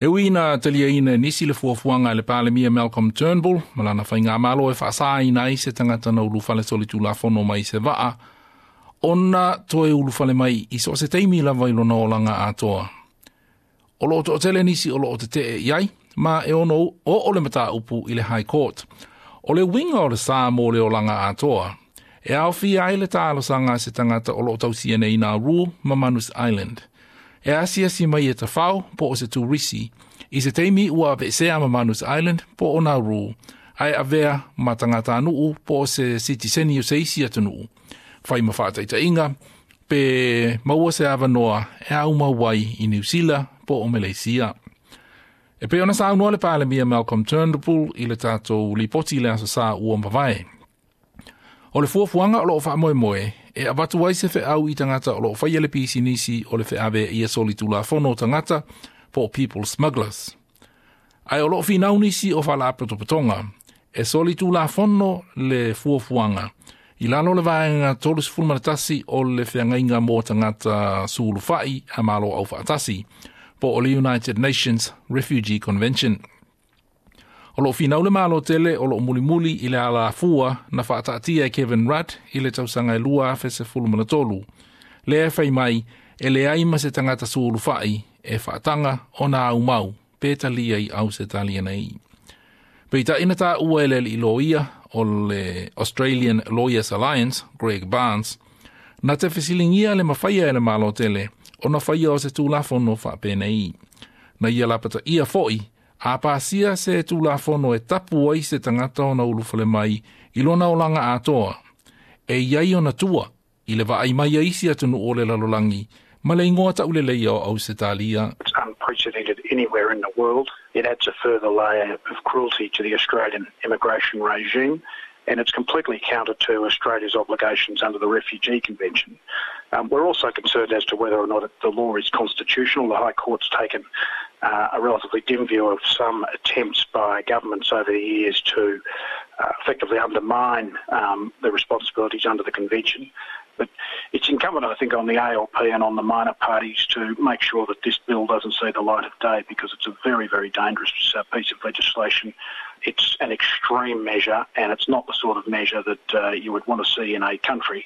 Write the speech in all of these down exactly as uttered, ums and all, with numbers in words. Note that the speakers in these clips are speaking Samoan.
E ui ina taliaina e nisi le fuafuaga a le Palemia Malcolm Turnbull ma lana faigamalo e faasaina ai se tagata na ulufale solitulafono mai se vaa ona toe ulufale mai i so o se taimi lava i lona olaga atoa. O loo toatele nisi o loo tetee i ai, ma e ono oo le mataupu i le High Court. O le uiga o le sa mo le olaga atoa, e aofia ai le talosaga a se tagata o loo tausia nei Nauru ma Manus Island. E asiasi mai e tafao po o se turisi, i se taimi ua aveesea ma Manus Island po o Nauru, ae avea ma tagatanuu po o se sitiseni o se isi atunuu. Fai ma faataitaiga, pe maua se avanoa e aumau ai i Niu Sila po o Maleisia. E pei ona saunoa le Palemia Malcolm Turnbull i le tatou lipoti i le Aso Sa ua mavae. O le fuafuaga o loo faamoemoe e avatu ai se feau i tagata o loo faia le pisinisi o le feaveaia solitulafono o tagata po o people smugglers. Ae o loo finau nisi o faalapotopotoga e solitulafono le fuafuaga i lalo o le Vaega três o le Feagaiga mo Tagata Sulufai a Malo Aufaatasi, po o le United Nations Refugee Convention. O loo finau le Malo tele o loo mulimuli i le alafua na faataatia e Kevin Rudd i le tausaga e lua afe sefulu ma le tolu. Lea e fai mai e leai ma se tagata sulufai e faataga ona aumau pe talia i Ausetalia nei. Peitai na taua e le alii loia o le Australian Lawyers Alliance, Greg Barns, na te fesiligia le mafaia e le Malo tele ona faia o se tulafono faapenei. Na ia lapataia foi, a pasia se tulafono e tapu ai se tagata ona ulufale mai i lona olaga atoa, e iai ona tua i le vaai mai a isi atunuu o le lalolagi ma le igoa tauleleia o Ausetalia. It's unprecedented anywhere in the world. It adds a further layer of cruelty to the Australian immigration regime, and it's completely counter to Australia's obligations under the Refugee Convention. Um, we're also concerned as to whether or not the law is constitutional. The High Court's taken uh, a relatively dim view of some attempts by governments over the years to uh, effectively undermine um, the responsibilities under the Convention. But it's incumbent, I think, on the A L P and on the minor parties to make sure that this bill doesn't see the light of day, because it's a very, very dangerous uh, piece of legislation. It's an extreme measure, and it's not the sort of measure that uh, you would want to see in a country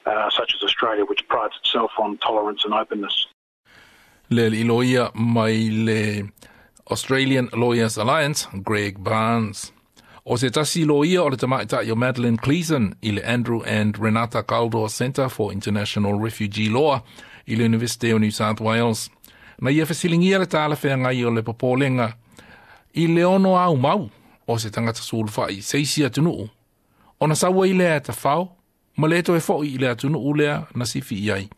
uh, such as Australia, which prides itself on tolerance and openness. Le alii loia mai le Australian Lawyers Alliance, Greg Barns. O se tasi loia o le tamaitai o Madeline Gleeson i le Andrew and Renata Kaldor Centre for International Refugee Law i le University o New South Wales. Na ia fesiligia le talafeagai o le popolega i le ono aumau o se tagata sulufai se isi atunuu ona sau ai lea e tafao ma le toe foi i le atunuu lea na sifi i ai,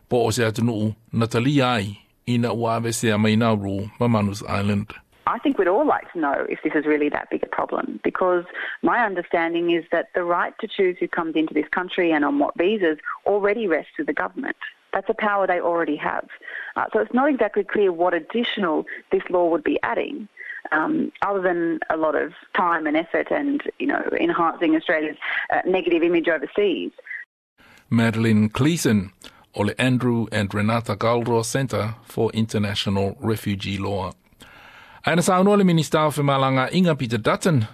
po o se atunuu na talia ai ina ua aveesea mai Nauru ma Manus Island. I think we'd all like to know if this is really that big a problem, because my understanding is that the right to choose who comes into this country and on what visas already rests with the government. That's a power they already have. Uh, so it's not exactly clear what additional this law would be adding, Um, other than a lot of time and effort and, you know, enhancing Australia's uh, negative image overseas. Madeline Gleeson o le Andrew and Renata Kaldor Centre for International Refugee Law. Ae na saunoa le Minista o Femalagaaiga Peter Dutton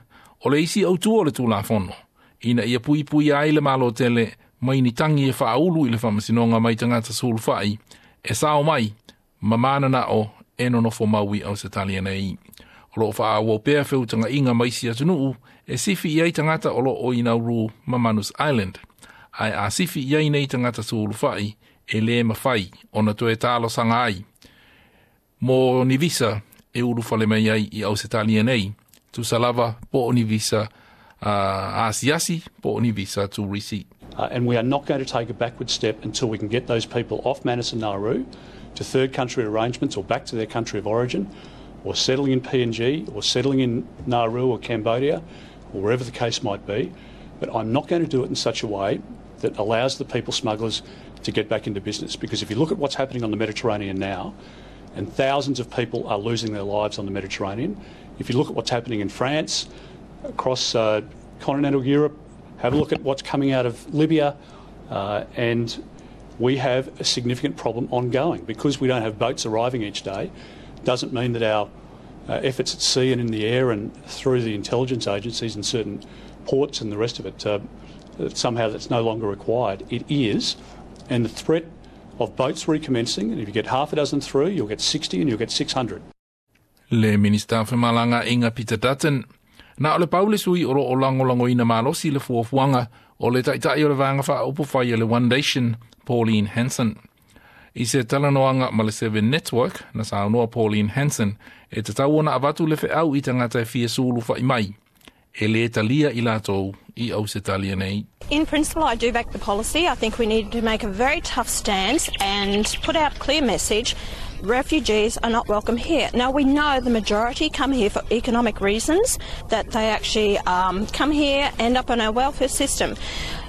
o le isi autu o le Tulafono ina ia puipui ai le Malo tele mai ni tagi e faaulu i le faamasinoga mai tagata sulufai e sao mai ma mananao e nonofo mau i Ausetalia nei. O loo faaauau pea feutagaiga ma isi atunuu e sifi i ai tagata o loo i Nauru ma Manus Island. Ae a sifi i ai nei tagata sulufai e lē mafai ona toe talosaga ai mo ni visa e ulufale mai ai i Ausetalia nei, tusa lava po o ni visa uh, asiasi po o ni visa turisi. Uh, and we are not going to take a backward step until we can get those people off Manus and Nauru to third country arrangements or back to their country of origin, or settling in P N G or settling in Nauru or Cambodia or wherever the case might be. But I'm not going to do it in such a way that allows the people smugglers to get back into business. Because if you look at what's happening on the Mediterranean now, and thousands of people are losing their lives on the Mediterranean. If you look at what's happening in France, across uh, continental Europe, have a look at what's coming out of Libya, uh, and we have a significant problem ongoing because we don't have boats arriving each day. Doesn't mean that our uh, efforts at sea and in the air and through the intelligence agencies and certain ports and the rest of it, uh, that somehow that's no longer required. It is, and the threat of boats recommencing, and if you get half a dozen through, you'll get sixty and you'll get six hundred. Le Minista o Femalagaaiga Peter Dutton. Na o le pau le sui o loo lagolagoina malosi le fuafuaga o le Taitai o le Vaega Faaupufai o le One Nation, Pauline Hanson. I se talanoaga ma le Seven Network, na saunoa Pauline Hanson, e tatau ona avatu le feau i tagata e fia sulufa'i mai. E lē talia i latou i Ausetalia nei. In principle, I do back the policy. I think we need to make a very tough stance and put out a clear message. Refugees are not welcome here. Now, we know the majority come here for economic reasons, that they actually um, come here, end up on our welfare system.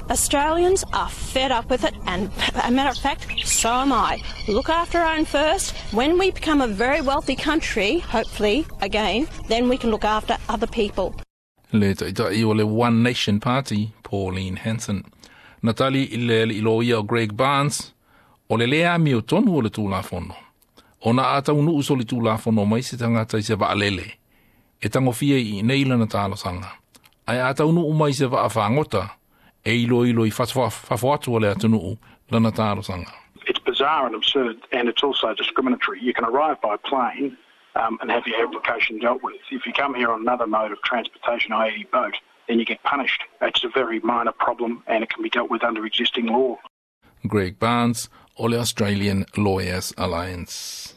Australians are fed up with it, and a matter of fact, so am I. Look after our own first. When we become a very wealthy country, hopefully, again, then we can look after other people. Le Taitai o le One Nation Party, Pauline Hanson. Na tali i le alii loia o Greg Barns, o le lē amiotonu o le tulafono. Ona a taunuu solitulafono mai se tagata i se vaalele, e tagofia i nei lana talosaga. Ae a taunuu mai se vaafagota, e iloilo i fafo atu o le atunuu lana talosaga. It's bizarre and absurd, and it's also discriminatory. You can arrive by plane um, and have your application dealt with. If you come here on another mode of transportation, that is boat, then you get punished. It's a very minor problem and it can be dealt with under existing law. Greg Barns o le Australian Lawyers Alliance.